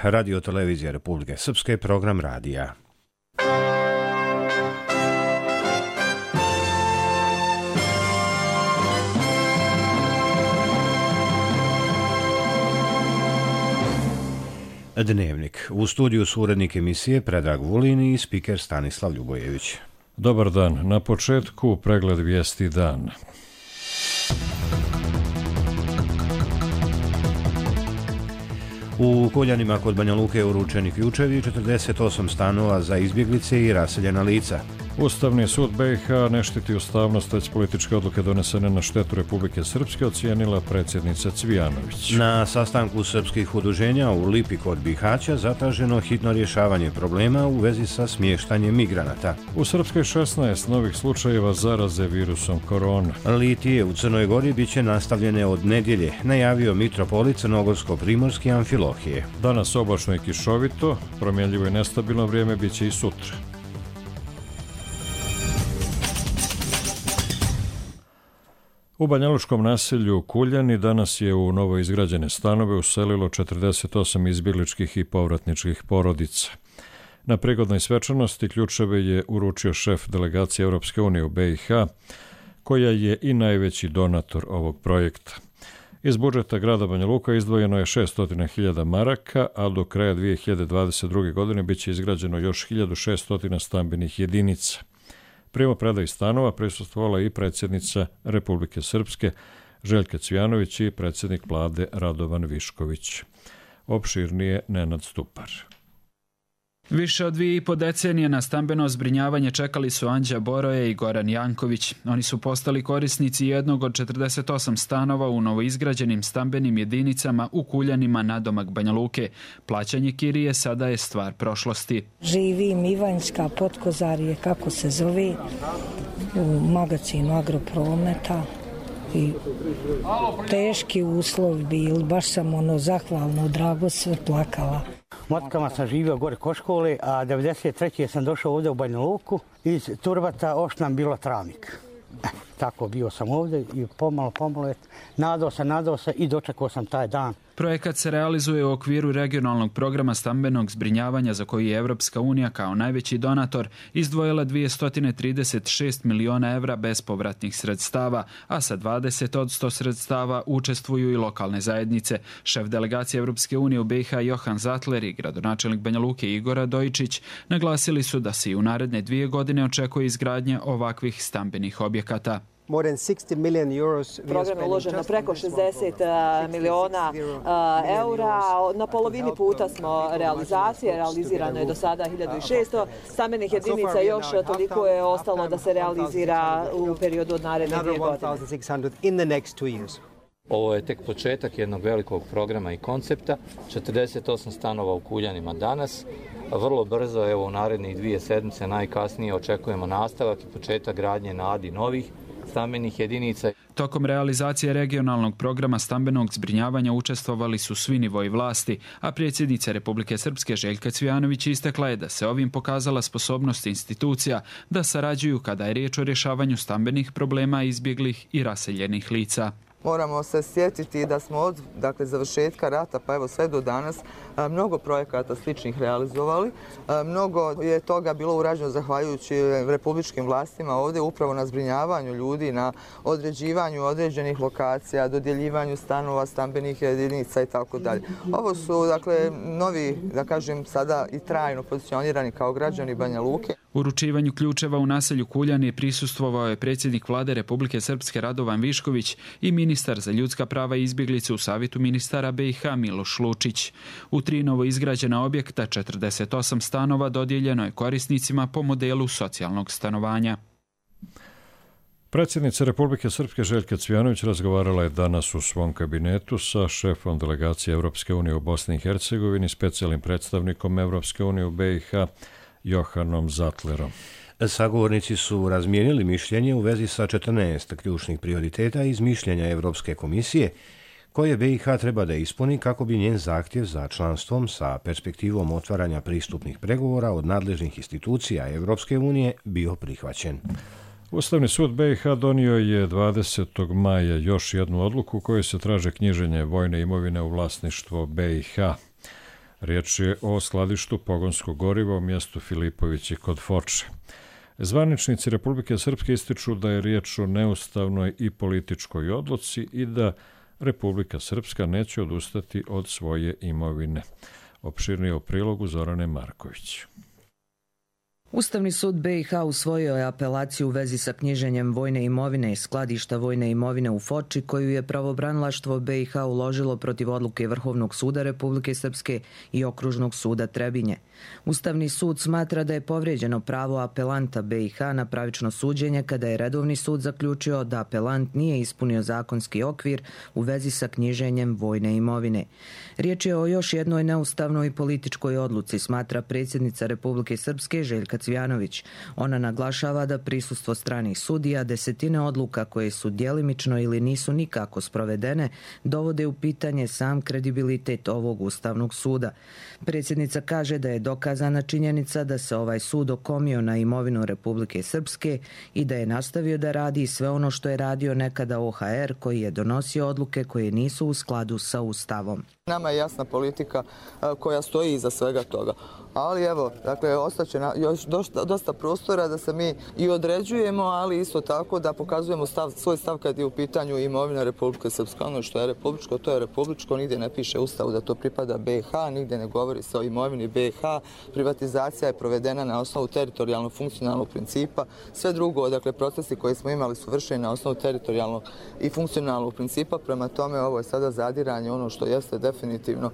Radio Televizija Republike Srpske, program radija. Dnevnik. U studiju su urednik emisije Predrag Vulin i spiker Stanislav Ljubojević. Dobar dan. Na početku pregled vijesti dana. U Kuljanima kod Banja Luke uručeni ključevi 48 stanova za izbjeglice i raseljena lica. Ustavni sud BiH ne štiti ustavnost, već političke odluke donesene na štetu Republike Srpske, ocijenila predsjednica Cvijanović. Na sastanku srpskih udruženja u Lipi kod Bihaća zatraženo hitno rješavanje problema u vezi sa smještanjem migranata. U Srpskoj 16 novih slučajeva zaraze virusom korona. Litije u Crnoj Gori bit će nastavljene od nedjelje, najavio mitropolit Crnogorsko-Primorski Amfilohije. Danas oblačno i kišovito, promjenljivo i nestabilno vrijeme bit će i sutra. U banjalučkom naselju Kuljani danas je u novo izgrađene stanove uselilo 48 izbjegličkih i povratničkih porodica. Na prigodnoj svečanosti ključeve je uručio šef delegacije Europske unije u BiH, koja je i najveći donator ovog projekta. Iz budžeta grada Banja Luka izdvojeno je 600.000 maraka, a do kraja 2022. godine bit će izgrađeno još 1600 stambenih jedinica. Primopredaji stanova prisustvovala i predsjednica Republike Srpske Željka Cvijanović i predsjednik vlade Radovan Višković. Opširnije Nenad Stupar. Više od 2,5 decenije na stambeno zbrinjavanje čekali su Anđa Boroje i Goran Janković. Oni su postali korisnici jednog od 48 stanova u novoizgrađenim stambenim jedinicama u Kuljanima nadomak Banja Luke. Plaćanje kirije sada je stvar prošlosti. Živim Ivanjska Potkozarje, kako se zove, u magazinu Agroprometa. I teški uslovi bili, baš sam zahvalno, drago sve plakala. Motkama sam živio gore kod škole, a 93. sam došao ovdje u Banja Luku. Iz Turbata oš nam bilo travnik. Tako bio sam ovdje i pomalo, nadao se i dočekao sam taj dan. Projekat se realizuje u okviru regionalnog programa stambenog zbrinjavanja za koji je Evropska unija kao najveći donator izdvojila 236 miliona evra bespovratnih sredstava, a sa 20% sredstava učestvuju i lokalne zajednice. Šef delegacije Evropske unije u BiH Johan Zatler i gradonačelnik Banja Luke Igor Radojičić naglasili su da se i u naredne 2 godine očekuje izgradnja ovakvih stambenih objekata. Program je uložen na preko 60 miliona eura. Na polovini puta smo realizirano je do sada 1600 stambenih jedinica, još toliko je ostalo da se realizira u periodu od naredne 2 godine. Ovo je tek početak jednog velikog programa i koncepta, 48 stanova u Kuljanima danas. Vrlo brzo, evo u narednih 2 sedmice najkasnije očekujemo nastavak i početak gradnje na Adi novih stambenih jedinica. Tokom realizacije regionalnog programa stambenog zbrinjavanja učestvovali su svi nivoji vlasti, a predsjednica Republike Srpske Željka Cvijanović istakla je da se ovim pokazala sposobnost institucija da sarađuju kada je riječ o rješavanju stambenih problema izbjeglih i raseljenih lica. Moramo se sjetiti da smo od završetka rata pa evo sve do danas mnogo projekata sličnih realizovali. Mnogo je toga bilo urađeno zahvaljujući republičkim vlastima ovdje upravo na zbrinjavanju ljudi, na određivanju određenih lokacija, dodjeljivanju stanova, stambenih jedinica i tako dalje. Ovo su novi, da kažem sada i trajno pozicionirani kao građani Banja Luke. Uručivanju ključeva u naselju Kuljani prisustvovao je predsjednik vlade Republike Srpske Radovan Višković i ministar za ljudska prava i izbjeglice u Savjetu ministara BiH Miloš Lučić. U 3 novo izgrađena objekta 48 stanova dodijeljeno je korisnicima po modelu socijalnog stanovanja. Predsjednica Republike Srpske Željka Cvijanović razgovarala je danas u svom kabinetu sa šefom delegacije Europske unije u Bosni i Hercegovini, specijalnim predstavnikom Europske unije u BiH Johanom Zatlerom. Sagovornici su razmijenili mišljenje u vezi sa 14 ključnih prioriteta iz mišljenja Europske komisije, koje BiH treba da ispuni kako bi njen zahtjev za članstvom sa perspektivom otvaranja pristupnih pregovora od nadležnih institucija Europske unije bio prihvaćen. Ustavni sud BiH donio je 20. maja još jednu odluku kojoj se traže knjiženje vojne imovine u vlasništvo BiH. Riječ je o skladištu pogonskog goriva u mjestu Filipovići kod Foče. Zvaničnici Republike Srpske ističu da je riječ o neustavnoj i političkoj odluci i da Republika Srpska neće odustati od svoje imovine. Opširnije u prilogu Zorane Marković. Ustavni sud BiH usvojio je apelaciju u vezi sa knjiženjem vojne imovine i skladišta vojne imovine u Foči, koju je pravobranilaštvo BiH uložilo protiv odluke Vrhovnog suda Republike Srpske i Okružnog suda Trebinje. Ustavni sud smatra da je povrijeđeno pravo apelanta BiH na pravično suđenje kada je redovni sud zaključio da apelant nije ispunio zakonski okvir u vezi sa knjiženjem vojne imovine. Riječ je o još jednoj neustavnoj i političkoj odluci, smatra predsjednica Republike Srpske Željka Cvijanović. Ona naglašava da prisustvo stranih sudija, desetine odluka koje su djelimično ili nisu nikako sprovedene, dovode u pitanje sam kredibilitet ovog Ustavnog suda. Predsjednica kaže da je dokazana činjenica da se ovaj sud okomio na imovinu Republike Srpske i da je nastavio da radi sve ono što je radio nekada OHR, koji je donosio odluke koje nisu u skladu sa Ustavom. Nama je jasna politika koja stoji iza svega toga. Ali evo, dakle, ostaće još dosta prostora da se mi i određujemo, ali isto tako da pokazujemo svoj stav kad je u pitanju imovina Republike Srpske. Ono što je republičko, to je republičko, nigdje ne piše u Ustavu da to pripada BiH, nigdje ne govori se o imovini BiH. Privatizacija je provedena na osnovu teritorijalnog funkcionalnog principa. Sve drugo, dakle, procesi koji smo imali su vršeni na osnovu teritorijalnog i funkcionalnog principa. Prema tome, ovo je sada zadiranje, ono što jeste definitivno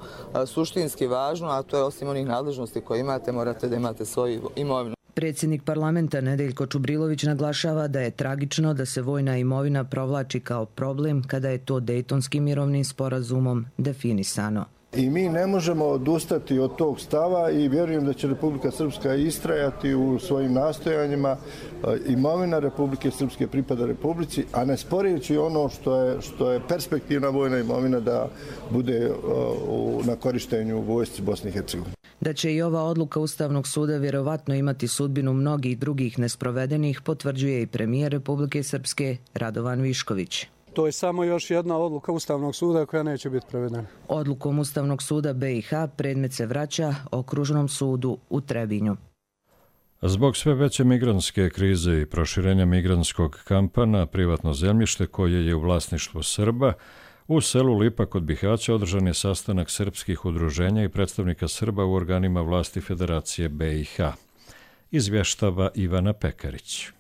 suštinski važno, a to je osim onih nadležnosti koje imate, morate da imate svoju imovinu. Predsjednik parlamenta Nedeljko Čubrilović naglašava da je tragično da se vojna imovina provlači kao problem kada je to Dejtonskim mirovnim sporazumom definisano. I mi ne možemo odustati od tog stava i vjerujem da će Republika Srpska istrajati u svojim nastojanjima. Imovina Republike Srpske pripada Republici, a ne sporeći ono što je perspektivna vojna imovina da bude na korištenju vojsci Bosne i Hercegovine. Da će i ova odluka Ustavnog suda vjerovatno imati sudbinu mnogih drugih nesprovedenih, potvrđuje i premijer Republike Srpske Radovan Višković. To je samo još jedna odluka Ustavnog suda koja neće biti provedena. Odlukom Ustavnog suda BiH predmet se vraća Okružnom sudu u Trebinju. Zbog sve veće migrantske krize i proširenja migrantskog kampa na privatno zemljište koje je u vlasništvu Srba, u selu Lipa kod Bihaća održan je sastanak srpskih udruženja i predstavnika Srba u organima vlasti Federacije BiH. Izvještava Ivana Pekarić.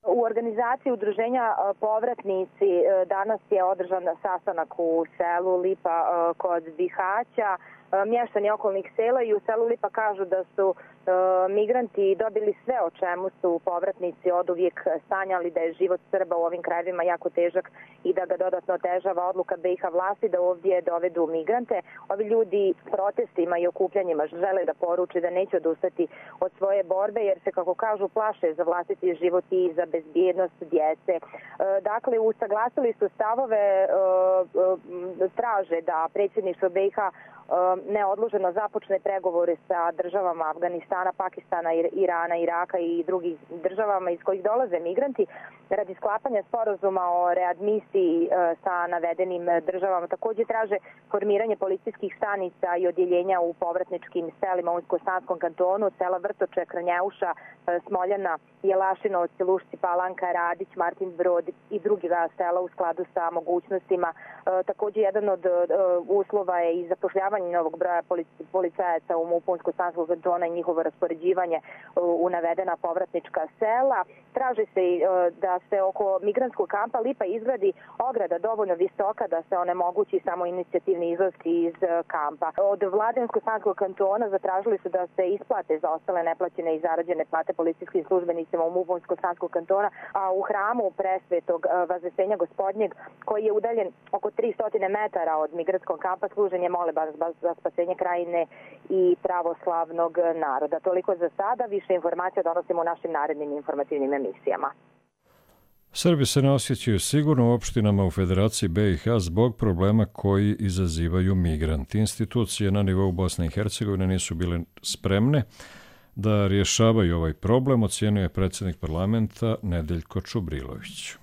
U organizaciji udruženja Povratnici danas je održan sastanak u selu Lipa kod Bihaća. Mještani okolnih sela i u selu Lipa kažu da su migranti dobili sve o čemu su povratnici oduvijek sanjali, da je život Srba u ovim krajevima jako težak i da ga dodatno otežava odluka BiH vlasti da ovdje dovedu migrante. Ovi ljudi protestima i okupljanjima žele da poruče da neće odustati od svoje borbe jer se, kako kažu, plaše za vlastiti život i za bezbjednost djece. Dakle, usaglasili su stavove, traže da predsjedništvo BiH neodloženo započne pregovore sa državama Afganistana, Pakistana, Irana, Iraka i drugih državama iz kojih dolaze migranti radi sklapanja sporazuma o readmisiji sa navedenim državama. Također traže formiranje policijskih stanica i odjeljenja u povratničkim selima u Unsko-Sanskom kantonu, sela Vrtoče, Krnjeuša, Smoljana, Jelašinovac, Lušci, Palanka, Radić, Martin Brod i drugi sela u skladu sa mogućnostima. Također jedan od uslova je i zapošljavanje novog broja policajaca u MUP-u Unsko-Sanskog kantona i njihovo raspoređivanje u navedena povratnička sela. Traži se da se oko migrantskog kampa Lipa izgradi ograda dovoljno visoka da se onemogući samo inicijativni izlaski iz kampa. Od vlade Unsko-Sanskog kantona zatražili su da se isplate za ostale neplaćene i zarađene plate policijskim službenicima u MUP-u Unsko-Sanskog kantona, a u hramu Presvetog Vaznesenja Gospodnjeg, koji je udaljen oko 300 metara od migrantskog kampa, služen je molebas za spasenje krajine i pravoslavnog naroda. Toliko za sada, više informacija donosimo u našim narednim informativnim emisijama. Srbi se ne osjećaju sigurno u opštinama u Federaciji BiH zbog problema koji izazivaju migranti. Institucije na nivou Bosne i Hercegovine nisu bile spremne da rješavaju ovaj problem, ocijenio je predsjednik parlamenta Nedeljko Čubrilović.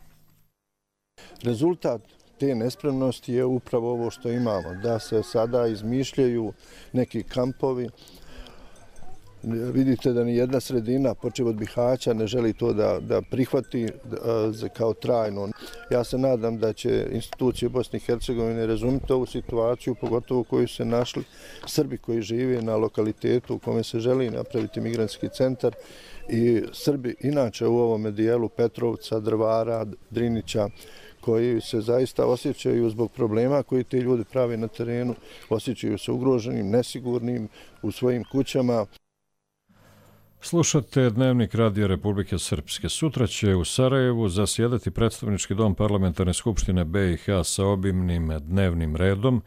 Rezultat te nespremnosti je upravo ovo što imamo, da se sada izmišljaju neki kampovi. Vidite da ni jedna sredina, počev od Bihaća, ne želi to da prihvati kao trajno. Ja se nadam da će institucije Bosne i Hercegovine razumjeti ovu situaciju, pogotovo u kojoj su se našli Srbi koji žive na lokalitetu u kome se želi napraviti migrantski centar i Srbi inače u ovome dijelu Petrovca, Drvara, Drinića, koji se zaista osjećaju zbog problema koji te ljudi prave na terenu, osjećaju se ugroženim, nesigurnim u svojim kućama. Slušate Dnevnik Radio Republike Srpske. Sutra će u Sarajevu zasjedati predstavnički dom Parlamentarne skupštine BiH sa obimnim dnevnim redom,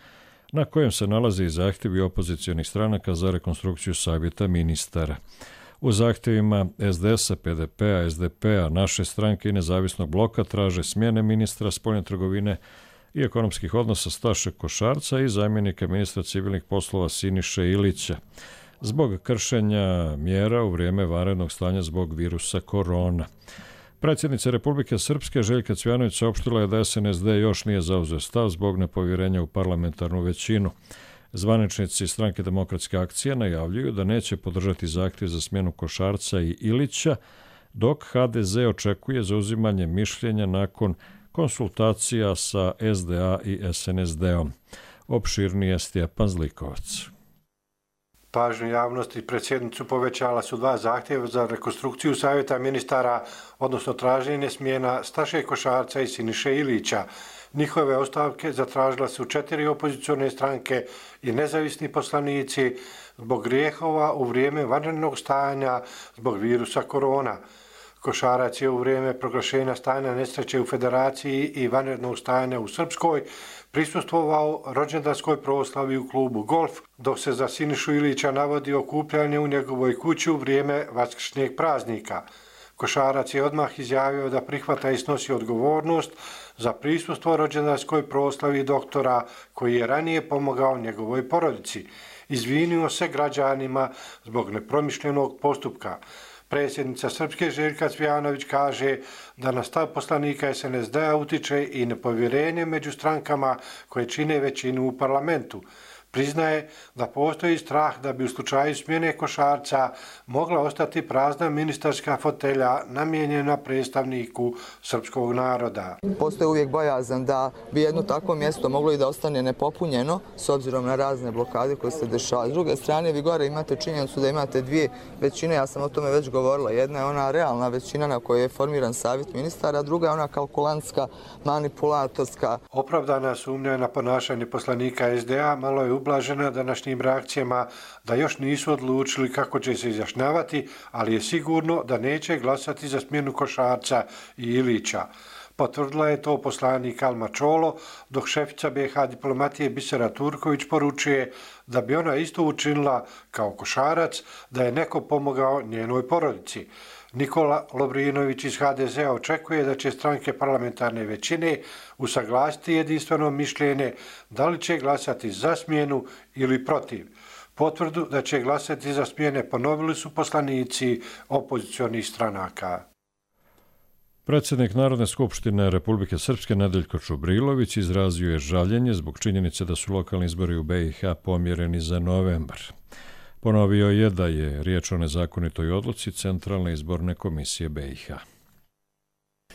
na kojem se nalaze i zahtjevi opozicionih stranaka za rekonstrukciju savjeta ministara. U zahtjevima SDS-a, PDP-a, SDP-a, naše stranke i nezavisnog bloka traže smjene ministra spoljne trgovine i ekonomskih odnosa Staše Košarca i zamjenika ministra civilnih poslova Siniše Ilića zbog kršenja mjera u vrijeme vanrednog stanja zbog virusa korona. Predsjednica Republike Srpske Željka Cvjanović saopštila je da SNSD još nije zauzeo stav zbog nepovjerenja u parlamentarnu većinu. Zvaničnici Stranke demokratske akcije najavljuju da neće podržati zahtjev za smjenu Košarca i Ilića, dok HDZ očekuje zauzimanje mišljenja nakon konsultacija sa SDA i SNSD-om. Opširnije Stjepan Zlikovac. Pažnju javnosti pred sjednicu povećala su 2 zahtjeva za rekonstrukciju savjeta ministara, odnosno traženje smjena Staše Košarca i Siniše Ilića. Njihove ostavke zatražila su 4 opozicione stranke i nezavisni poslanici zbog grijehova u vrijeme vanrednog stanja zbog virusa korona. Košarac je u vrijeme proglašenja stanja nesreće u Federaciji i vanrednog stanja u Srpskoj prisustvovao rođendanskoj proslavi u klubu Golf, dok se za Sinišu Ilića navodi okupljanje u njegovoj kući u vrijeme vaskršnjeg praznika. Košarac je odmah izjavio da prihvata i snosi odgovornost za prisustvo rođendanskoj proslavi doktora koji je ranije pomogao njegovoj porodici. Izvinio se građanima zbog nepromišljenog postupka. Predsjednica Srpske Željka Cvjanović kaže da na stav poslanika SNSD-a utiče i nepovjerenje među strankama koje čine većinu u parlamentu. Priznaje da postoji strah da bi u slučaju smjene Košarca mogla ostati prazna ministarska fotelja namijenjena predstavniku srpskog naroda. Postoji uvijek bojazan da bi jedno takvo mjesto moglo i da ostane nepopunjeno s obzirom na razne blokade koje se dešavaju. S druge strane, vi gore imate činjenicu da imate 2 većine, ja sam o tome već govorila. Jedna je ona realna većina na kojoj je formiran savjet ministara, a druga je ona kalkulantska, manipulatorska. Opravdana sumnja na ponašanje poslanika SDA malo je ublažena današnjim reakcijama da još nisu odlučili kako će se izjašnjavati, ali je sigurno da neće glasati za smjenu Košarca i Ilića. Potvrdila je to poslanik Alma Čolo, dok šefica BiH diplomatije Bisera Turković poručuje da bi ona isto učinila kao Košarac da je neko pomogao njenoj porodici. Nikola Lovrinović iz HDZ-a očekuje da će stranke parlamentarne većine usaglasiti jedinstveno mišljenje da li će glasati za smjenu ili protiv. Potvrdu da će glasati za smjene ponovili su poslanici opozicionih stranaka. Predsjednik Narodne skupštine Republike Srpske Nedeljko Čubrilović izrazio je žaljenje zbog činjenice da su lokalni izbori u BiH pomjereni za novembar. Ponovio je da je riječ o nezakonitoj odluci Centralne izborne komisije BiH.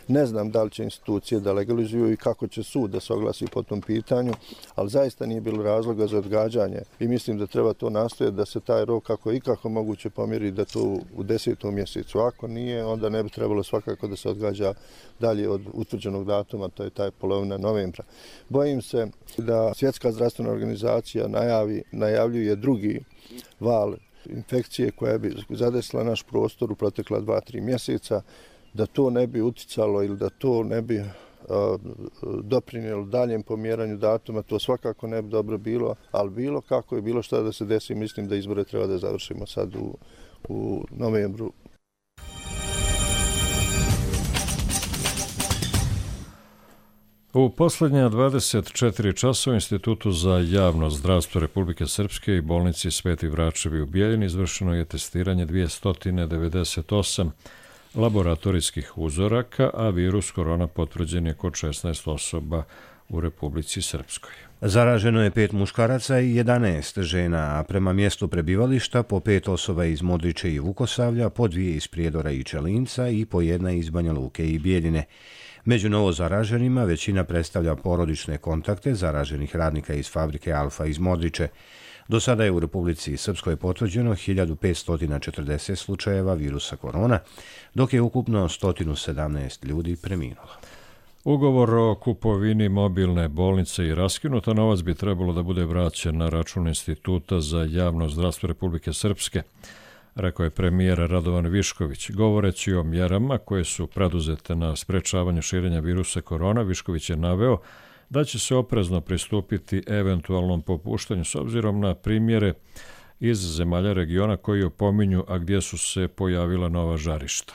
Ne znam da li će institucije da legalizuju i kako će sud da se oglasi po tom pitanju, ali zaista nije bilo razloga za odgađanje i mislim da treba to nastojati da se taj rok kako je ikako moguće pomjeri da to u 10. mjesecu. Ako nije, onda ne bi trebalo svakako da se odgađa dalje od utvrđenog datuma, to je taj polovina novembra. Bojim se da Svjetska zdravstvena organizacija najavljuje drugi val infekcije koja bi zadesila naš prostor u protekla 2-3 mjeseca, da to ne bi uticalo ili da to ne bi doprinijelo daljem pomjeranju datuma, to svakako ne bi dobro bilo, ali bilo kako je bilo šta da se desi, mislim da izbore treba da završimo sad u novembru. U posljednja 24 časa u Institutu za javno zdravstvo Republike Srpske i bolnici Sveti Vračevi u Bijeljini izvršeno je testiranje 298 laboratorijskih uzoraka, a virus korona potvrđen je kod 16 osoba u Republici Srpskoj. Zaraženo je 5 muškaraca i 11 žena, a prema mjestu prebivališta po 5 osoba iz Modriče i Vukosavlja, po 2 iz Prijedora i Čelinca i po 1 iz Banja Luke i Bijeljine. Među novo zaraženima većina predstavlja porodične kontakte zaraženih radnika iz fabrike Alfa iz Modriče. Do sada je u Republici Srpskoj potvrđeno 1540 slučajeva virusa korona, dok je ukupno 117 ljudi preminulo. Ugovor o kupovini mobilne bolnice je raskinut, a novac bi trebalo da bude vraćen na račun Instituta za javno zdravstvo Republike Srpske, rekao je premijer Radovan Višković. Govoreći o mjerama koje su preduzete na sprečavanju širenja virusa korona, Višković je naveo da će se oprezno pristupiti eventualnom popuštanju s obzirom na primjere iz zemalja regiona koji opominju, a gdje su se pojavila nova žarišta.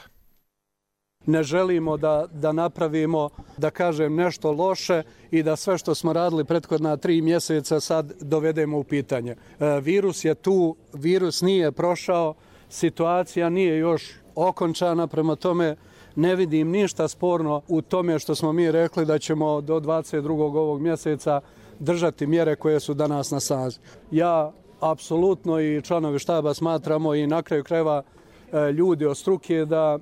Ne želimo da napravimo, da kažem, nešto loše i da sve što smo radili prethodna 3 mjeseca sad dovedemo u pitanje. Virus je tu, virus nije prošao, situacija nije još okončana, prema tome ne vidim ništa sporno u tome što smo mi rekli da ćemo do 22. ovog mjeseca držati mjere koje su danas na snazi. Ja apsolutno i članovi štaba smatramo i na kraju krajeva ljudi od struke da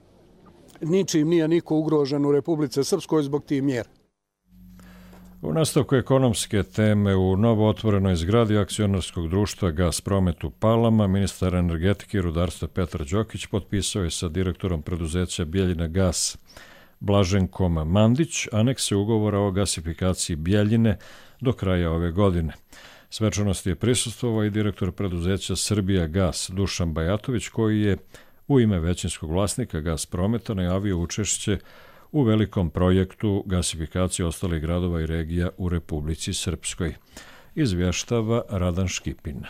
ničim nije niko ugrožen u Republici Srpskoj zbog tih mjera. U nastavku ekonomske teme u novo otvorenoj zgradi akcionarskog društva Gas Promet u Palama, ministar energetike i rudarstva Petar Đokić potpisao je sa direktorom preduzeća Bijeljina Gas Blaženkom Mandić anekse ugovora o gasifikaciji Bijeljine do kraja ove godine. Svečanosti je prisustvovao i direktor preduzeća Srbija Gas Dušan Bajatović, koji je u ime većinskog vlasnika Gas Prometa najavio učešće u velikom projektu gasifikacije ostalih gradova i regija u Republici Srpskoj. Izvještava Radan Škipin.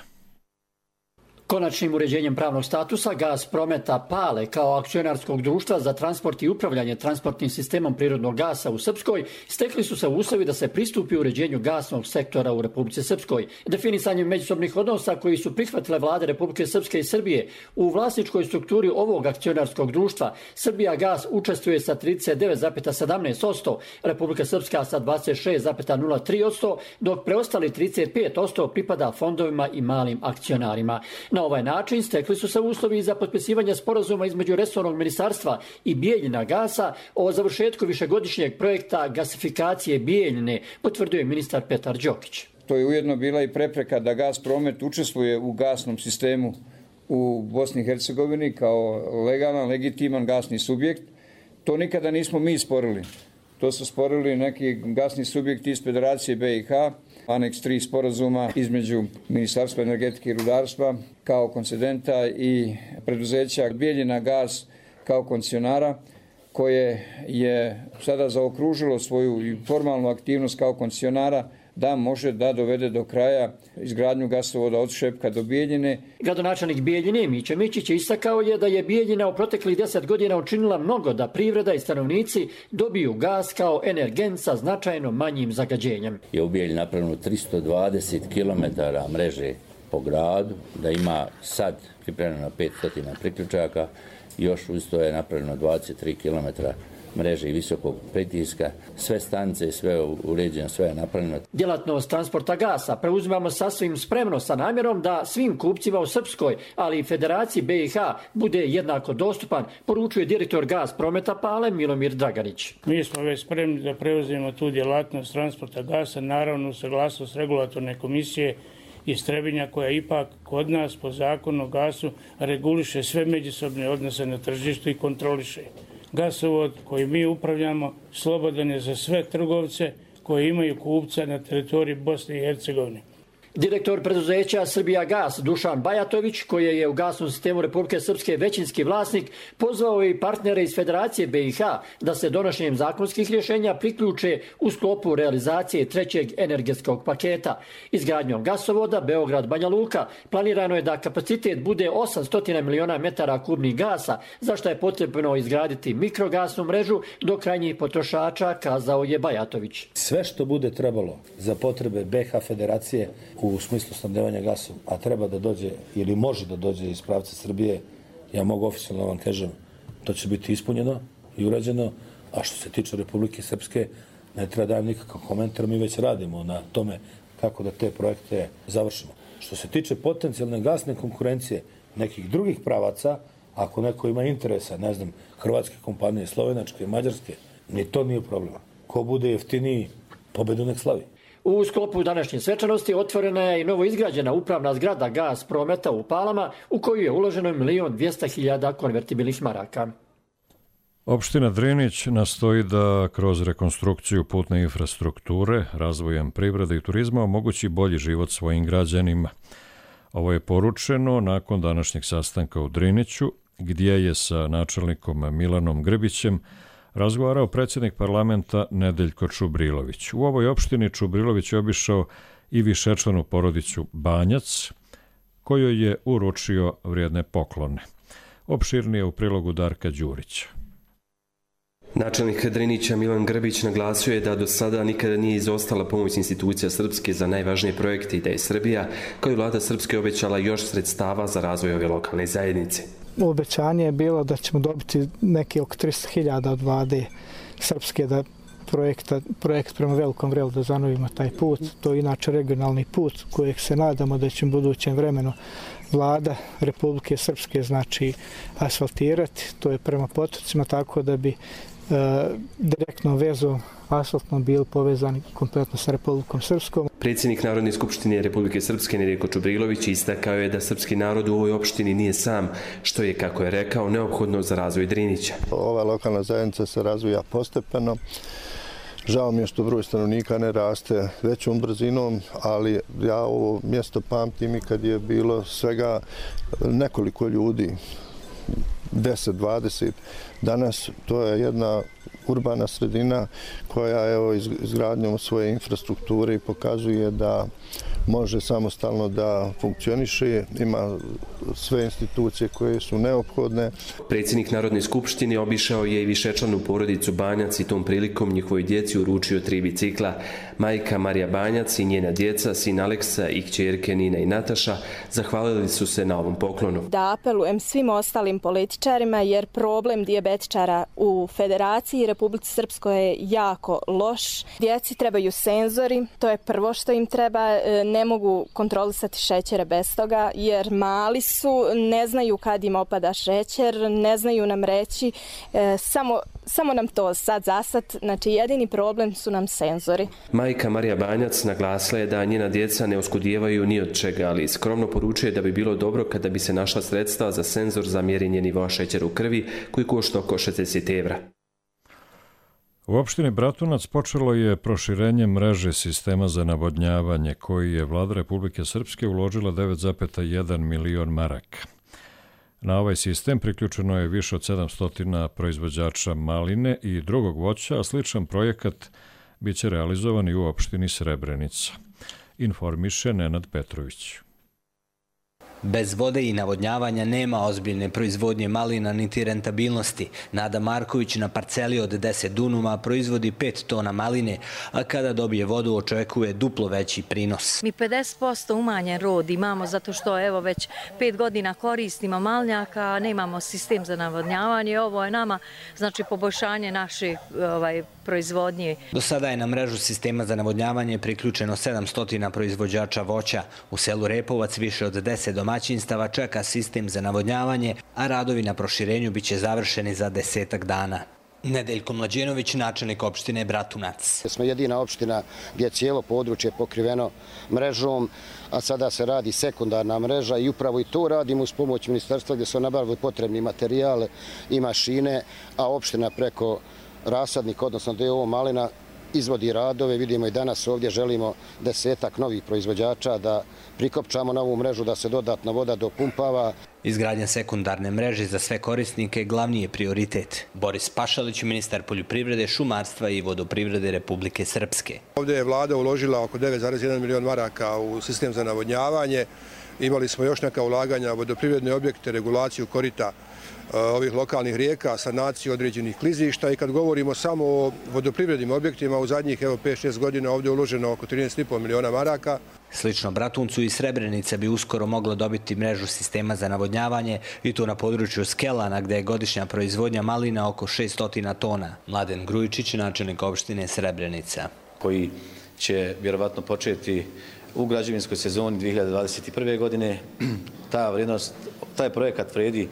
Konačnim uređenjem pravnog statusa Gas Prometa Pale kao akcionarskog društva za transport i upravljanje transportnim sistemom prirodnog gasa u Srpskoj stekli su se uslovi da se pristupi uređenju gasnog sektora u Republici Srpskoj. Definisanjem međusobnih odnosa koji su prihvatile vlade Republike Srpske i Srbije u vlasničkoj strukturi ovog akcionarskog društva Srbija Gas učestvuje sa 39,17%, Republika Srpska sa 26,03%, dok preostali 35% pripada fondovima i malim akcionarima. Na ovaj način stekli su se uslovi za potpisivanje sporazuma između resornog ministarstva i Bijeljina Gasa o završetku višegodišnjeg projekta gasifikacije Bijeljine, potvrdio je ministar Petar Đokić. To je ujedno bila i prepreka da Gas Promet učestvuje u gasnom sistemu u Bosni i Hercegovini kao legalan, legitiman gasni subjekt. To nikada nismo mi sporili. To su sporili neki gasni subjekti iz Federacije BiH, aneks 3 sporazuma između Ministarstva energetike i rudarstva kao koncedenta i preduzeća Bijeljina Gas kao koncesionara, koje je sada zaokružilo svoju formalnu aktivnost kao koncesionara da može da dovede do kraja izgradnju gasovoda od Šepka do Bijeljine. Gradonačelnik Bijeljine Miće Mićić istakao je da je Bijeljina u proteklih 10 godina učinila mnogo da privreda i stanovnici dobiju gas kao energent sa značajno manjim zagađenjem. Je u Bijeljini napravljeno 320 km mreže po gradu, da ima sad pripremljeno 500 priključaka, još uz to je napravljeno 23 km mreže i visokog pritiska, sve stanice, sve uređeno, sve je napravljeno. Djelatnost transporta gasa preuzimamo sasvim spremno sa namjerom da svim kupcima u Srpskoj, ali i Federaciji BiH bude jednako dostupan, poručuje direktor Gas Prometa Pale Milomir Draganić. Mi smo već spremni da preuzimemo tu djelatnost transporta gasa, naravno u saglasnost regulatorne komisije iz Trebinja, koja ipak kod nas po zakonu o gasu reguliše sve međusobne odnose na tržištu i kontroliše. Gasovod koji mi upravljamo slobodan je za sve trgovce koji imaju kupca na teritoriji Bosne i Hercegovine. Direktor preduzeća Srbija Gas Dušan Bajatović, koji je u gasnom sistemu Republike Srpske većinski vlasnik, pozvao i partnere iz Federacije BiH da se donošenjem zakonskih rješenja priključe u sklopu realizacije trećeg energetskog paketa. Izgradnjom gasovoda Beograd-Banja Luka planirano je da kapacitet bude 800 miliona metara kubnih gasa, za što je potrebno izgraditi mikrogasnu mrežu do krajnjih potrošača, kazao je Bajatović. Sve što bude trebalo za potrebe BiH Federacije u smislu snabdevanja gasom, a treba da dođe ili može da dođe iz pravca Srbije, ja mogu oficijalno vam kažem, to će biti ispunjeno i urađeno, a što se tiče Republike Srpske, ne treba dajem nikakav komentar, mi već radimo na tome kako da te projekte završimo. Što se tiče potencijalne gasne konkurencije nekih drugih pravaca, ako neko ima interesa, ne znam, hrvatske kompanije, slovenačke, mađarske, ni to nije problema. Ko bude jeftiniji, pobedu nek slavi. U sklopu današnje svečanosti otvorena je i novo izgrađena upravna zgrada Gas Prometa u Palama, u koju je uloženo 1.200.000 konvertibilnih maraka. Opština Drinić nastoji da kroz rekonstrukciju putne infrastrukture, razvojem privrede i turizma omogući bolji život svojim građanima. Ovo je poručeno nakon današnjeg sastanka u Driniću, gdje je sa načelnikom Milanom Grbićem razgovarao predsjednik parlamenta Nedeljko Čubrilović. U ovoj opštini Čubrilović je obišao i višečlanu porodicu Banjac, kojoj je uručio vrijedne poklone. Opširnije u prilogu Darka Đurića. Načelnik Drinića Milan Grbić naglasio je da do sada nikada nije izostala pomoć institucija Srpske za najvažnije projekte i da je Srbija, kao i vlada Srpske, obećala još sredstava za razvoj ove lokalne zajednice. Obećanje je bilo da ćemo dobiti neki oko 300.000 od vlade Srpske da projekt prema Velikom Vrelu da zanovimo taj put. To je inače regionalni put kojeg se nadamo da će u budućem vremenu vlada Republike Srpske znači asfaltirati. To je prema potocima, tako da bi direktnom vezom asfaltnom bili povezani kompletno sa Republikom Srpskom. Predsjednik Narodne skupštine Republike Srpske Nedeljko Čubrilović istakao je da srpski narod u ovoj opštini nije sam, što je, kako je rekao, neophodno za razvoj Drinića. Ova lokalna zajednica se razvija postepeno. Žao mi je što broj stanovnika ne raste većom brzinom, ali ja ovo mjesto pamtim i kad je bilo svega nekoliko ljudi, 10-20. Danas to je jedna urbana sredina koja evo izgradnjom svoje infrastrukture pokazuje da može samostalno da funkcioniše, ima sve institucije koje su neophodne. Predsjednik Narodne skupštine obišao je i višečlanu porodicu Banjac i tom prilikom njihovoj djeci uručio 3 bicikla. Majka Marija Banjac i njena djeca, sin Aleksa i kćerke Nina i Nataša, zahvalili su se na ovom poklonu. Da apelujem svim ostalim političarima, jer problem dijabetičara u Federaciji i Republici Srpskoj je jako loš. Djeci trebaju senzori, to je prvo što im treba. Ne mogu kontrolisati šećere bez toga, jer mali su, ne znaju kad im opada šećer, ne znaju nam reći, samo nam to sad zasad, znači jedini problem su nam senzori. Majka Marija Banjac naglasila je da njena djeca ne oskudijevaju ni od čega, ali skromno poručuje da bi bilo dobro kada bi se našla sredstva za senzor za mjerenje nivoa šećera u krvi, koji košta oko 60 evra. U opštini Bratunac počelo je proširenje mreže sistema za navodnjavanje, koji je vlada Republike Srpske uložila 9,1 milion maraka. Na ovaj sistem priključeno je više od 700 proizvođača maline i drugog voća, a sličan projekat biće realizovan i u opštini Srebrenica. Informiše Nenad Petrović. Bez vode i navodnjavanja nema ozbiljne proizvodnje malina niti rentabilnosti. Nada Marković na parceli od 10 dunuma proizvodi 5 tona maline, a kada dobije vodu očekuje duplo veći prinos. Mi 50% umanjen rod imamo zato što evo već 5 godina koristimo malnjaka, a nemamo sistem za navodnjavanje. Ovo je nama znači poboljšanje naše proizvodnje. Do sada je na mrežu sistema za navodnjavanje priključeno 700 proizvođača voća. U selu Repovac više od 10 domaćinstava čeka sistem za navodnjavanje, a radovi na proširenju biće završeni za 10 dana. Nedeljko Mlađenović, načelnik opštine Bratunac. Smo jedina opština gdje je cijelo područje pokriveno mrežom, a sada se radi sekundarna mreža i upravo i to radimo uz pomoć ministarstva gdje su nabavili potrebni materijale i mašine, a opština preko rasadnika, odnosno DO malina, izvodi radove. Vidimo i danas ovdje želimo 10 novih proizvođača da prikopčamo na ovu mrežu, da se dodatno voda dopumpava. Izgradnja sekundarne mreže za sve korisnike glavni je prioritet. Boris Pašalić, ministar poljoprivrede, šumarstva i vodoprivrede Republike Srpske. Ovdje je vlada uložila oko 9,1 milion maraka u sistem za navodnjavanje. Imali smo još neka ulaganja u vodoprivredne objekte, regulaciju korita ovih lokalnih rijeka, sanaciju određenih klizišta i kad govorimo samo o vodoprivrednim objektima, u zadnjih 5-6 godina ovdje je uloženo oko 13,5 miliona maraka. Slično Bratuncu i Srebrenica bi uskoro mogla dobiti mrežu sistema za navodnjavanje i to na području Skelana gdje je godišnja proizvodnja malina oko 600 tona. Mladen Grujičić, načelnik opštine Srebrenica. Koji će vjerovatno početi u građevinskoj sezoni 2021. godine. Taj projekat vredi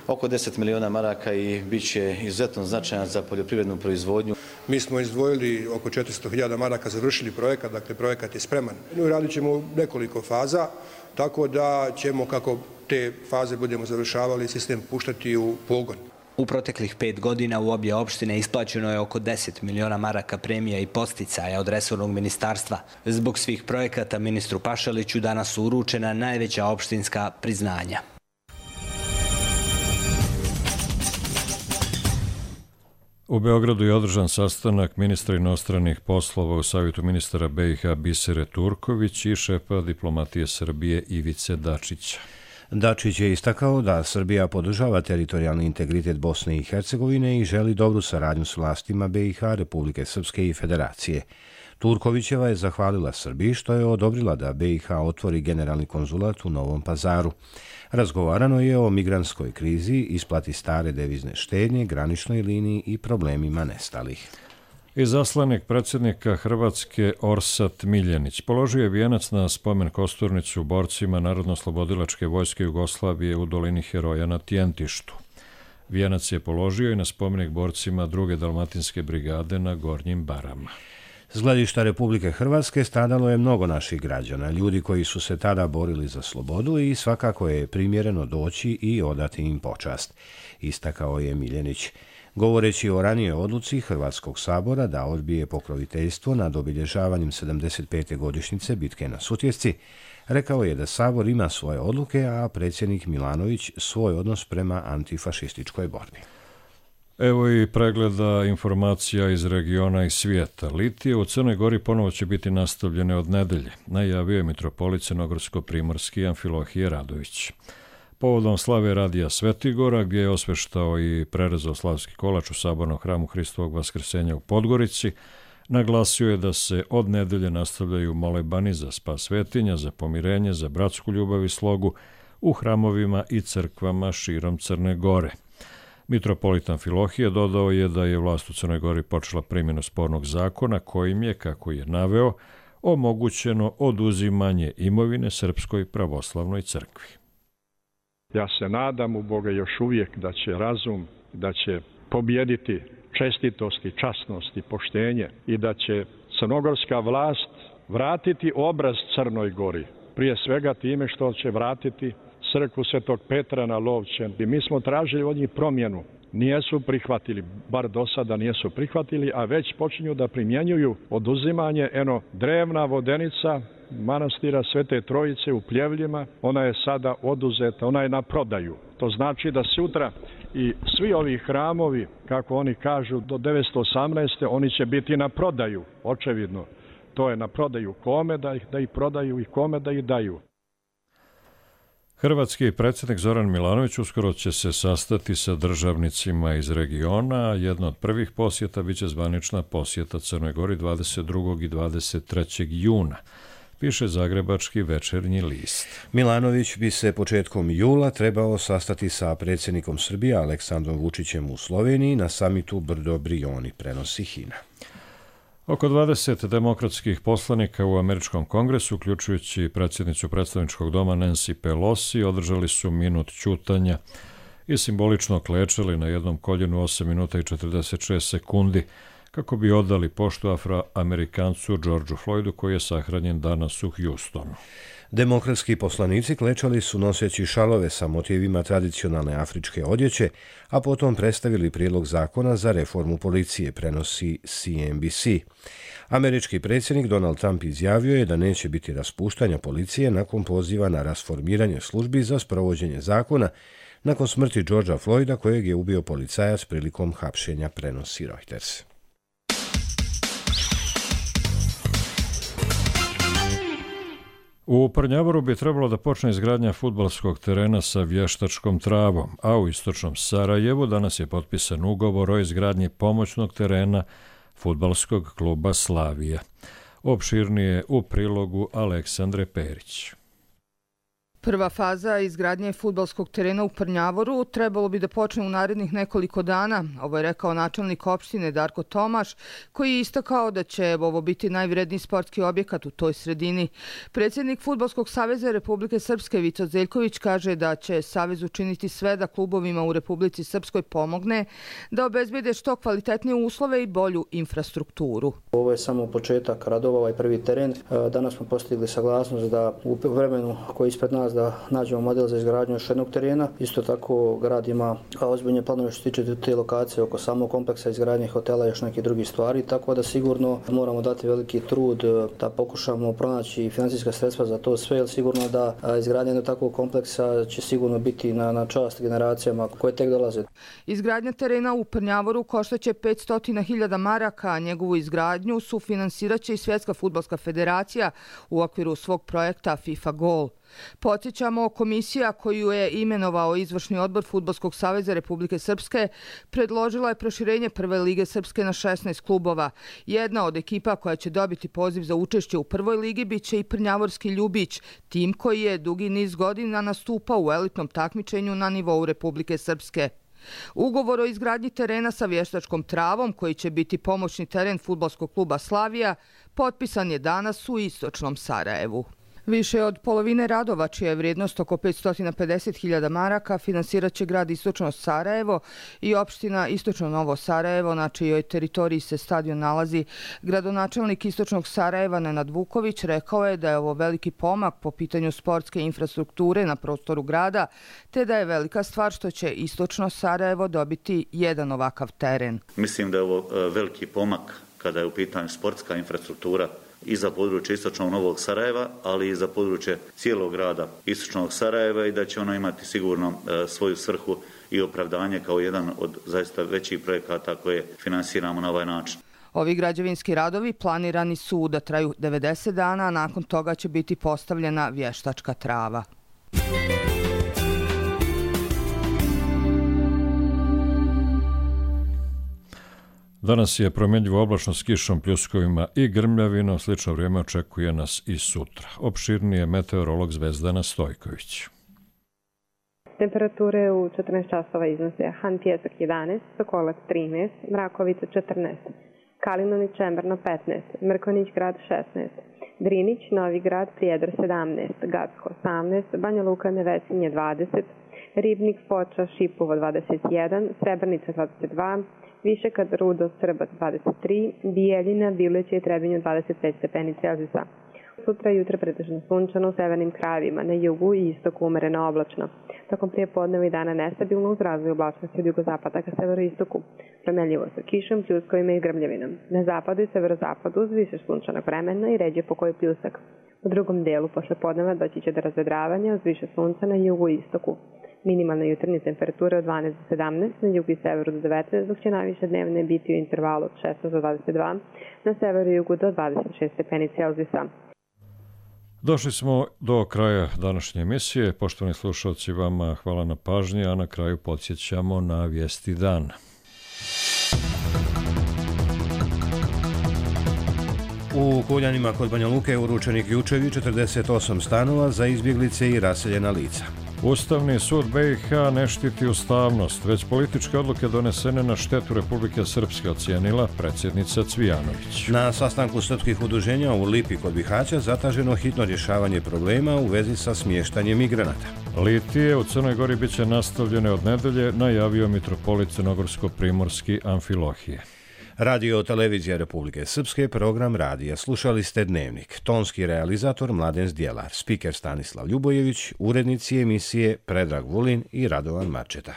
oko 10 miliona maraka i bit će izuzetno značajan za poljoprivrednu proizvodnju. Mi smo izdvojili oko 400.000 maraka, završili projekat, dakle projekat je spreman. Radit ćemo nekoliko faza, tako da ćemo, kako te faze budemo završavali, sistem puštati u pogon. U proteklih 5 godina u obje opštine isplaćeno je oko 10 miliona maraka premija i posticaja od resornog ministarstva. Zbog svih projekata ministru Pašaliću danas su uručena najveća opštinska priznanja. U Beogradu je održan sastanak ministra inostranih poslova u Savjetu ministara BiH Bisere Turković i šefa diplomatije Srbije Ivice Dačića. Dačić je istakao da Srbija podržava teritorijalni integritet Bosne i Hercegovine i želi dobru saradnju s vlastima BiH, Republike Srpske i Federacije. Turkovićeva je zahvalila Srbiji što je odobrila da BiH otvori generalni konzulat u Novom Pazaru. Razgovarano je o migrantskoj krizi, isplati stare devizne štednje, graničnoj liniji i problemima nestalih. Izaslanik predsjednika Hrvatske Orsat Miljenić položio je vijenac na spomen kosturnicu borcima Narodno-oslobodilačke vojske Jugoslavije u dolini Heroja na Tjentištu. Vijenac je položio i na spomenik borcima 2. Dalmatinske brigade na Gornjim Barama. S gledišta Republike Hrvatske stradalo je mnogo naših građana, ljudi koji su se tada borili za slobodu i svakako je primjereno doći i odati im počast, istakao je Miljenić. Govoreći o ranijoj odluci Hrvatskog sabora da odbije pokroviteljstvo nad obilježavanjem 75. godišnjice bitke na Sutjesci, rekao je da Sabor ima svoje odluke, a predsjednik Milanović svoj odnos prema antifašističkoj borbi. Evo i pregleda informacija iz regiona i svijeta. Litije u Crnoj Gori ponovo će biti nastavljene od nedelje, najavio je mitropolit crnogorsko-primorski Amfilohije Radović. Povodom slave Radija Svetigora, gdje je osveštao i prerezao slavski kolač u sabornom hramu Hristovog vaskrsenja u Podgorici, naglasio je da se od nedelje nastavljaju molebani za spas svetinja, za pomirenje, za bratsku ljubav i slogu u hramovima i crkvama širom Crne Gore. Mitropolit Amfilohije dodao je da je vlast u Crnoj Gori počela primjenu spornog zakona kojim je, kako je naveo, omogućeno oduzimanje imovine Srpskoj pravoslavnoj crkvi. Ja se nadam u Boga još uvijek da će razum, da će pobijediti čestitost i časnost i poštenje i da će crnogorska vlast vratiti obraz Crnoj Gori. Prije svega time što će vratiti crkvu Svetog Petra na Lovćen. I mi smo tražili od njih promjenu. Nijesu prihvatili, bar do sada nijesu prihvatili, a već počinju da primjenjuju oduzimanje drevna vodenica manastira Svete Trojice u Pljevljima. Ona je sada oduzeta, ona je na prodaju. To znači da sutra i svi ovi hramovi, kako oni kažu, do 918. oni će biti na prodaju, očevidno. To je na prodaju kome da ih prodaju i kome da ih daju. Hrvatski predsjednik Zoran Milanović uskoro će se sastati sa državnicima iz regiona. Jedna od prvih posjeta biće zvanična posjeta Crnoj Gori 22. i 23. juna, piše zagrebački Večernji list. Milanović bi se početkom jula trebao sastati sa predsjednikom Srbije Aleksandrom Vučićem u Sloveniji na samitu Brdo Brioni, prenosi HINA. Oko 20 demokratskih poslanika u Američkom kongresu, uključujući predsjednicu predstavničkog doma Nancy Pelosi, održali su minut ćutanja i simbolično klečali na jednom koljenu 8 minuta i 46 sekundi kako bi odali poštu Afroamerikancu Georgeu Floydu koji je sahranjen danas u Houstonu. Demokratski poslanici klečali su noseći šalove sa motivima tradicionalne afričke odjeće, a potom predstavili prijedlog zakona za reformu policije, prenosi CNBC. Američki predsjednik Donald Trump izjavio je da neće biti raspuštanja policije nakon poziva na rasformiranje službi za sprovođenje zakona nakon smrti Georgea Floyda kojeg je ubio policajac prilikom hapšenja, prenosi Reuters. U Prnjavoru bi trebalo da počne izgradnja fudbalskog terena sa vještačkom travom, a u istočnom Sarajevu danas je potpisan ugovor o izgradnji pomoćnog terena fudbalskog kluba Slavija. Opširnije u prilogu Aleksandre Perić. Prva faza izgradnje fudbalskog terena u Prnjavoru trebalo bi da počne u narednih nekoliko dana. Ovo je rekao načelnik opštine Darko Tomaš, koji je istakao da će ovo biti najvredniji sportski objekat u toj sredini. Predsjednik Fudbalskog saveza Republike Srpske Vico Zeljković kaže da će savez učiniti sve da klubovima u Republici Srpskoj pomogne da obezbede što kvalitetnije uslove i bolju infrastrukturu. Ovo je samo početak radova, ovaj prvi teren. Danas smo postigli saglasnost da u vremenu koji je ispred nas da nađemo model za izgradnju još jednog terena. Isto tako grad ima ozbiljne planove što se tiče te lokacije oko samog kompleksa izgradnje hotela i još neke drugi stvari, tako da sigurno moramo dati veliki trud da pokušamo pronaći financijska sredstva za to sve, jer sigurno da izgradnja jednog takvog kompleksa će sigurno biti na čast generacijama koje tek dolaze. Izgradnja terena u Prnjavoru koštaće 500.000 maraka, a njegovu izgradnju sufinansiraće i Svjetska fudbalska federacija u okviru svog projekta FIFA Goal. Podsjećamo, komisija koju je imenovao Izvršni odbor Fudbalskog saveza Republike Srpske predložila je proširenje Prve lige Srpske na 16 klubova. Jedna od ekipa koja će dobiti poziv za učešće u Prvoj ligi biće i Prnjavorski Ljubić, tim koji je dugi niz godina nastupao u elitnom takmičenju na nivou Republike Srpske. Ugovor o izgradnji terena sa vještačkom travom, koji će biti pomoćni teren fudbalskog kluba Slavija, potpisan je danas u istočnom Sarajevu. Više od polovine radova, čija je vrijednost oko 550.000 maraka, finansirat će grad Istočno Sarajevo i opština Istočno Novo Sarajevo, na čijoj teritoriji se stadion nalazi. Gradonačelnik Istočnog Sarajeva Nenad Vuković rekao je da je ovo veliki pomak po pitanju sportske infrastrukture na prostoru grada, te da je velika stvar što će Istočno Sarajevo dobiti jedan ovakav teren. Mislim da je ovo veliki pomak kada je u pitanju sportska infrastruktura i za područje Istočnog Novog Sarajeva, ali i za područje cijelog grada Istočnog Sarajeva i da će ono imati sigurno svoju svrhu i opravdanje kao jedan od zaista većih projekata koje finansiramo na ovaj način. Ovi građevinski radovi planirani su da traju 90 dana, a nakon toga će biti postavljena vještačka trava. Danas je promjenjivo oblačno s kišom, pljuskovima i grmljavinom. Slično vrijeme očekuje nas i sutra. Opširnije meteorolog Zvezdana Stojković. Temperature u 14 časova iznose Han Pjesak 11, Sokolac 13, Mrakovica 14, Kalinović Čemberno 15, Mrkonić grad 16, Drinić, Novi grad, Prijedor 17, Gacko 18, Banja Luka Nevesinje 20, Ribnik, Foča, Šipovo 21, Srebrnica 22, Višegrad, Rudo, Srbac 23, Bijeljina, Bileće i Trebinju 25 stepeni Celzijusa. Sutra jutra pretežno sunčano u severnim krajevima, na jugu i istoku umereno oblačno. Tokom prijepodneva i dana nestabilno uz razvoj oblačnosti od jugozapada ka severoistoku. Promjenljivo sa kišom, pljuskovima i grmljavinom. Na zapadu i severozapadu uz više sunčanog vremena i ređe pokoji pljusak. U drugom delu posle podneva doći će do razvedravanja uz više sunca na jugu i istoku. Minimalna jutarnja temperatura od 12 do 17, na jugu i severu do 19, dok će najviše dnevne biti u intervalu od 16 do 22, na severu i jugu do 26 stepeni Celzijusa. Došli smo do kraja današnje emisije. Poštovani slušalci, vama hvala na pažnji, a na kraju podsjećamo na vijesti dana. U Kuljanima kod Banja Luke uručeni ključevi 48 stanova za izbjeglice i raseljena lica. Ustavni sud BiH ne štiti ustavnost, već političke odluke donesene na štetu Republike Srpske, ocijenila predsjednica Cvijanović. Na sastanku srpskih udruženja u Lipi kod Bihaća zataženo hitno rješavanje problema u vezi sa smještanjem migranata. Litije u Crnoj Gori biće nastavljene od nedelje, najavio mitropolit Crnogorsko-Primorski Amfilohije. Radio Televizija Republike Srpske, program radija. Slušali ste Dnevnik. Tonski realizator Mladen Zdjelar, spiker Stanislav Ljubojević, urednici emisije Predrag Vulin i Radovan Marčeta.